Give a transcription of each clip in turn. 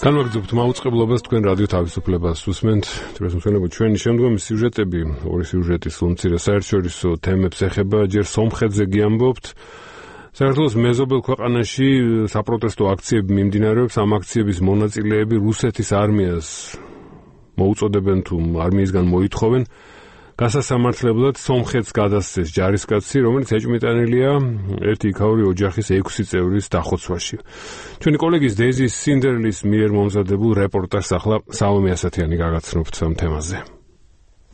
განვაგრძობთ მაუწყებლობას თქვენ რადიო თავისუფლებას უსმენთ. ჩვენი შემდგომი სიუჟეტები, ორი სიუჟეტი სულ საერთაშორისო თემებს ეხება, ჯერ სომხეთზე გიამბობთ. საქართველოს მეზობელ ქვეყანაში საპროტესტო აქციები მიმდინარეობს, ამ აქციების მონაწილეები რუსეთის არმიას მოუწოდებენ თუ არმიისგან მოითხოვენ გასასამართლებლად სომხეთს გადასცეს ჯარისკაცი, რომელიც ეჭვმიტანილია ერთი იქაური ოჯახის 6 წევრის დახოცვაში. ჩვენი კოლეგის დეზი სინდერლის მიერ მომზადებულ რეპორტაჟს ახლა სალომე ასათიანი გაგაცნობთ ამ თემაზე.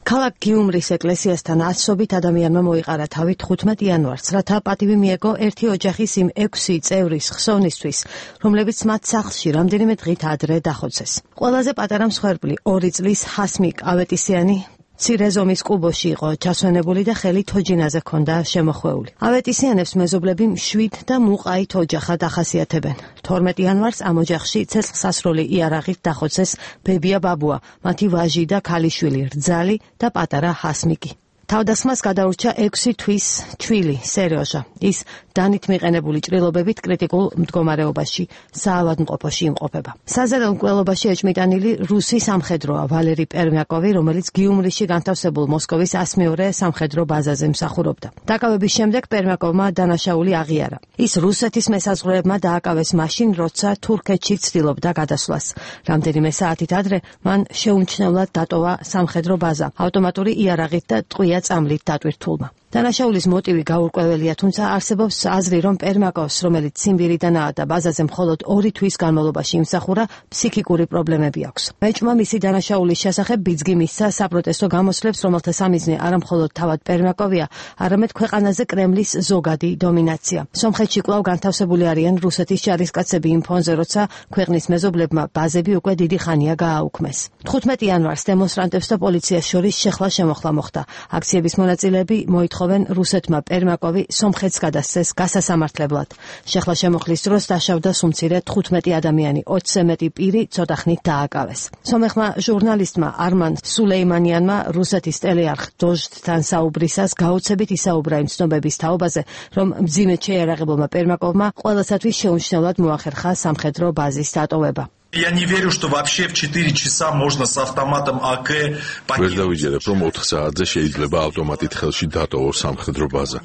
ქალაქ გიუმრის ეკლესიასთან ასობით ადამიანმა მოიყარა თავი 15 იანვარს, რათა პატივი მიეგო ერთი ოჯახის იმ 6 წევრის ხსოვნისთვის, რომლებიც მათ სახლში რამდენიმე დღით ადრე დახოცეს. ყველაზე პატარა მსხვერპლი 2 წლის ჰასმიკ ავეტისიანი მცირე ზომის კუბოში იყო ჩასვენებული და ხელი თოჯინაზე ჰქონდა შემოხვეული. ავეტისიანებს მეზობლები მშვიდ და მუყაით ოჯახად ახასიათებენ. 12 იანვარს ამ ოჯახში ცეცხლსასროლი იარაღით დახოცეს ბებია ბაბუა, მათი ვაჟი და ქალიშვილი რძალი და პატარა ჰასმიკი. თავდასხმას გადაურჩა 6 თვის ჩვილი სერეოჟა. ის დანით მიყენებული ჭრილობებით კრიტიკულ მდგომარეობაში საავადმყოფოში იმყოფება. საზარელ მკვლელობაში ეჭმიტანილი რუსი სამხედროა ვალერი პერმიაკოვი, რომელიც გიუმრიში განთავსებულ მოსკოვის 102 სამხედრო ბაზაზე მსახურობდა. დაკავების შემდეგ პერმიაკოვმა დანაშაული აღიარა. ის რუსეთის მესაზღვრეებმა დააკავეს მაშინ, როცა თურქეთში ცდილობდა გადასვლას. რამდენიმე საათით ადრე მან შეუმჩნევლად დატოვა სამხედრო ბაზა ავტომატური იარაღით და ტყვია წამლით დატვირთულმა. დანაშაულის მოტივი გაურკვეველია, თუმცა არსებობს აზრი, რომ პერმაკოვს, რომელიც ციმბირიდანაა და ბაზაზე მხოლოდ 2 თვის განმავლობაში იმსახურა, ფსიქიკური პრობლემები აქვს. მეჭმა მისი დანაშაულის შესახებ ბიძგი მისცა საპროტესტო გამოსვლებს, რომელთა სამიზნე არა მხოლოდ თავად პერმაკოვია, არამედ ქვეყანაზე კრემლის ზოგადი დომინაცია. სომხეთში კვლავ განთავსებული არიან რუსეთის ჯარისკაცები იმ ფონზე, როცა ქვეყნის მეზობლებმა ბაზები უკვე დიდი ხანია გააუქმეს. 15 იანვარს დემონსტრანტებს და პოლიციას შორის შეხლა-შემოხლა მოხდა. აქციების მონაწილეები მოითხოვენ რუსეთმა პერმაკოვი სომხეთს გადასცეს გასასამართლებლად. შეხლა-შემოხლის დროს დაშავდა სუმცირე 15 ადამიანი, 20-ზე მეტი პირი ცოტა ხნით დააკავეს. სომეხმა ჟურნალისტმა არმან სულეიმანიანმა რუსეთის ტელეარხ დოჟდთან საუბრისას გაუცებით ისაუბრა იმ ცნობების თაობაზე, რომ მძიმედ შეიარაღებულმა პერმაკოვმა ყველასათვის შეუმჩნევლად მოახერხა სამხედრო ბაზის დატოვება. Я не верю, что вообще в 4 часа можно с автоматом АК ვერ დავიჯერებ, რომ 4 საათზე შეიძლება ავტომატით ხელში დატოვოს სამხედრო ბაზა.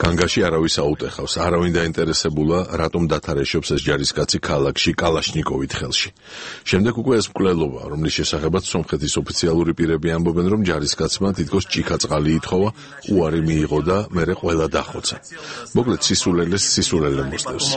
განგაში არავის აუტეხავს, არავინ დაინტერესებულა, რატომ დათარეშობს ეს ჯარისკაცი ქალაქში კალაშნიკოვით ხელში. შემდეგ უკვე ეს მკვლელობა, რომლის შესახებაც სომხეთის ოფიციალური პირები ამბობენ, რომ ჯარისკაცმა თითქოს ჭიქა-წყალი ითხოვა, უარი მიიღო და მერე ყველა დახოცა. მოკლედ სისულელეს სისულელე მოსდევს.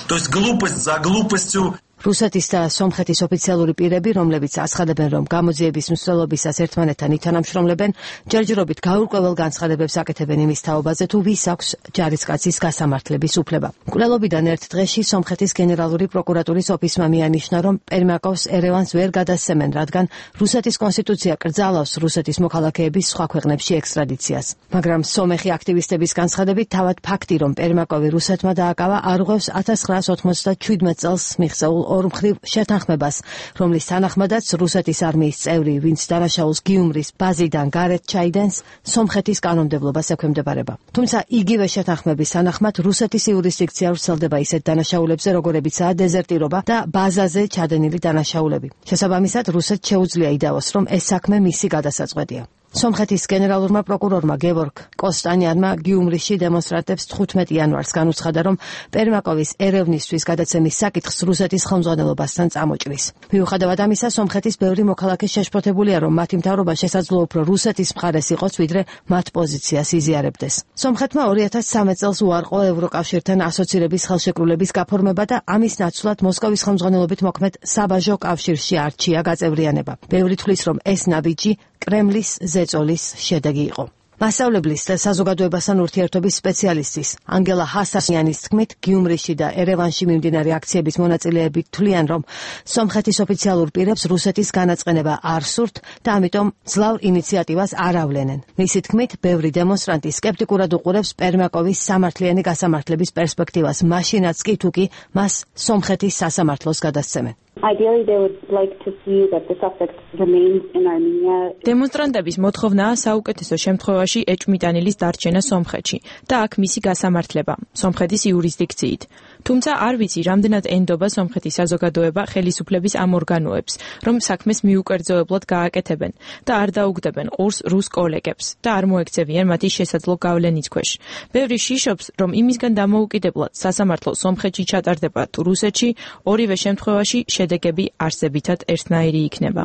То есть глупость за глупостью. რუსეთის და სომხეთის ოფიციალური პირები, რომლებიც აცხადებენ, რომ გამოძიების მსვლელობისას ერთმანეთთან ითანამშრომლებენ, ჯერჯერობით გაურკვეველ განცხადებებს აკეთებენ იმის თაობაზე, თუ ვის აქვს ჯარისკაცის გასამართლების უფლება. მკვლელობიდან ერთ დღეში სომხეთის გენერალური პროკურატურის ოფისმა მიანიშნა, რომ პერმაკოვს ერევანს ვერ გადასცემენ, რადგან რუსეთის კონსტიტუცია კრძალავს რუსეთის მოქალაქეების სხვა ქვეყნებში ექსტრადიციას. მაგრამ სომეხი აქტივისტების განცხადებით, თავად ფაქტი, რომ პერმაკოვი რუსეთმა დააკავა, არღვევს 1997 წელს მიღწეულ ორმხრივ შეთანხმებას, რომლის თანახმადაც რუსეთის არმიის წევრი, ვინც დანაშაულს გიუმრის ბაზიდან გარეთ ჩაიდენს, სომხეთის კანონმდებლობას ექვემდებარება. თუმცა იგივე შეთანხმების თანახმად რუსეთის იურისდიქცია ვრცელდება ისეთ დანაშაულებზე, როგორებიცაა დეზერტირობა და ბაზაზე ჩადენილი დანაშაულები. შესაბამისად, რუსეთს შეუძლია იდეოს, რომ ეს საქმე მისი გადასაწყვეტია. სომხეთის გენერალურმა პროკურორმა გევორგ კოსტანიანმა გიუმრიში დემონსტრანტებს 15 იანვარს განუცხადა, რომ პერმაკოვის ერევნისთვის გადაცემის საკითხს რუსეთის ხელმძღვანელობასთან წამოჭრის. მიუხედავად ამისა, სომხეთის ბევრი მოქალაქე შეშფოთებულია, რომ მათი მთავრობა შესაძლოა უფრო რუსეთის მხარეს იყოს, ვიდრე მათ პოზიციას იზიარებდეს. სომხეთმა 2013 წელს უარყო ევროკავშირთან ასოცირების ხელშეკრულების გაფორმება და ამის ნაცვლად მოსკოვის ხელმძღვანელობით მოქმედ საბაჟო კავშირში არჩია გაწევრიანება. ბევრი თვლის, რომ ეს ნაბიჯი კრემლის ზეწოლის შედეგი იყო. მასწავლებლის და საზოგადოებასთან ურთიერთობის სპეციალისტის ანგელა ჰასასიანის თქმით, გიუმრიში და ერევანში მიმდინარე აქციების მონაწილეები თვლიან, რომ სომხეთის ოფიციალურ პირებს რუსეთის განაწყენება არ სურთ და ამიტომ ძლავ ინიციატივას არ ავლენენ. მისი თქმით, ბევრი დემონსტრანტი სკეპტიკურად უყურებს პერმაკოვის სამართლიანი გასამართლების პერსპექტივას, მაშინაც კი თუ კი მას სომხეთის სასამართლოს გადასცემენ. Ideally, they would like to see that the suspect remains in Armenia. დემონსტრანტების მოთხოვნაა საუკეთესო შემთხვევაში ეჭვმიტანილის დარჩენა სომხეთში და აქ მისი გასამართლება, სომხეთის იურისდიქციით. თუმცა არ ვიცი, რამდენად ენდობა სომხეთის საზოგადოება ხელისუფლების ამ ორგანოებს, რომ საქმეს მიუკერძოებლად გააკეთებენ და არ დაუგდებენ ყურს რუს კოლეგებს და არ მოექცევიან მათი შესაძლო გავლენის ქვეშ. ბევრი შიშობს, რომ იმისგან დამოუკიდებლად სასამართლო სომხეთში ჩატარდება თუ რუსეთში, ორივე შემთხვევაში შედეგები არსებითად ერთნაირი იქნება.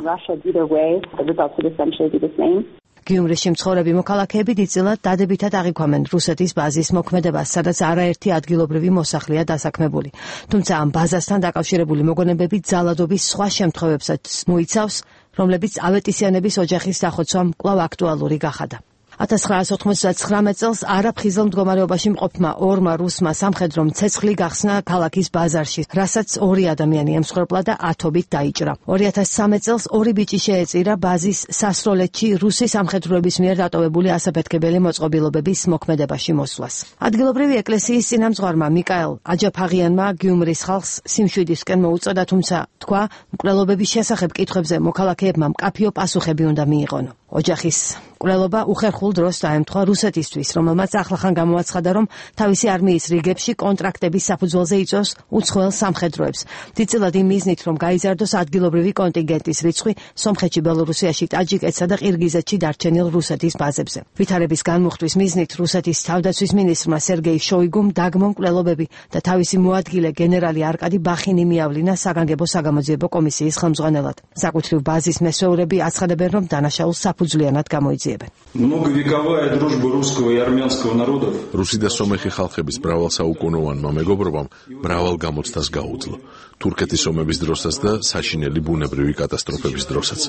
გიუმრისში მცხოვრები მოქალაქეები დიდწილად დადებითად აღიქვამენ რუსეთის ბაზის მოქმედებას, სადაც არაერთი ადგილობრივი მოსახლეა დასაქმებული. თუმცა ამ ბაზასთან დაკავშირებული მოგონებები ძალადობის სხვა შემთხვევებსაც მოიცავს, რომლებიც ავეტისიანების ოჯახის დახოცვამ კვლავ აქტუალური გახადა. 1999 წელს არაფხიზელ მდგომარეობაში მყოფმა ორმა რუსმა სამხედრომ ცეცხლი გახსნა ქალაქის ბაზარში, რასაც 2 ადამიანი ემსხვერპლა და ათობით დაიჭრა. 2013 წელს 2 ბიჭი შეეწირა ბაზის სასროლეთში რუსი სამხედროების მიერ დატოვებული ასაფეთქებელი მოწყობილობების მოქმედებაში მოსვლას. ადგილობრივი ეკლესიის წინამძღვარმა მიკაელ აჯაფაღიანმა გიუმრის ხალხს სიმშვიდისკენ მოუწოდა, თუმცა თქვა, მკვლელობების შესახებ კითხვებზე მოქალაქეებმა მკაფიო პასუხები უნდა მიიღონ. ოჯახის მკვლელობა უხერხულ დროს დაემთხვა რუსეთისთვის, რომელმაც ახლახან გამოაცხადა, რომ თავისი არმიის რიგებში კონტრაქტების საფუძველზე იწვევს უცხოელ სამხედროებს. დიდწილად იმ მიზნით, რომ გაიზარდოს ადგილობრივი კონტინგენტის რიცხვი სომხეთში, ბელორუსიაში, ტაჯიკეთსა და ყირგიზეთში დარჩენილ რუსეთის ბაზებზე. ვითარების განმუხტვის მიზნით რუსეთის თავდაცვის მინისტრმა სერგეი შოიგუმ დაგმო მკვლელობები და თავისი მოადგილე გენერალი არკადი ბახინი მიავლინა საგანგებო საგამოძიებო კომისიის ხელმძღვანელად. საკუთრივ ბაზის მესვეურები აცხადებენ, რომ დანაშაულს საფუძვლიანად გამოიძიებენ. Многовековая дружба русского и армянского народов. რუსი და სომეხი ხალხების მრავალსაუკუნოვანმა მეგობრობამ მრავალ გამოცდას გაუძლო. თურქეთის ომების დროსაც და საშინელი ბუნებრივი კატასტროფების დროსაც.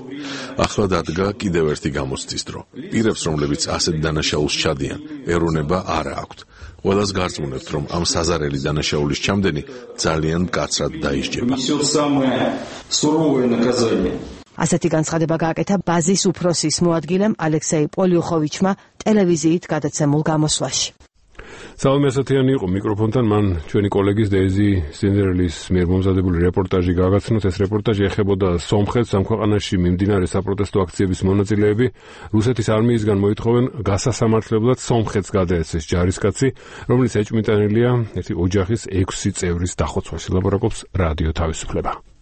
ახლა დადგა კიდევ ერთი გამოცდის დრო. პირებს, რომლებიც ასეთ დანაშაულს ჩადიან, ეროვნება არა აქვთ. ყველას გარწმუნებთ, რომ ამ საზარელი დანაშაულის ჩამდენი ძალიან მკაცრად დაისჯება. ასეთი განცხადება გააკეთა ბაზის უფროსის მოადგილემ ალექსეი პოლიუხოვიჩმა ტელევიზიით გადაცემულ გამოსვლაში. სალომე ასათიანი იყო მიკროფონთან, მან ჩვენი კოლეგის დეიზი სინდერელის მიერ მომზადებული რეპორტაჟი გაგაცნოთ. ეს რეპორტაჟი ეხებოდა სომხეთს. ამ ქვეყანაში მიმდინარე საპროტესტო აქციების მონაწილეები რუსეთის არმიისგან მოითხოვენ გასასამართლებლად სომხეთს გადაეცეს ჯარისკაცი, რომელიც ეჭვმიტანილია ერთი ოჯახის 6 წევრის დახოცვაში. ლაპარაკობს რადიო თავისუფლება.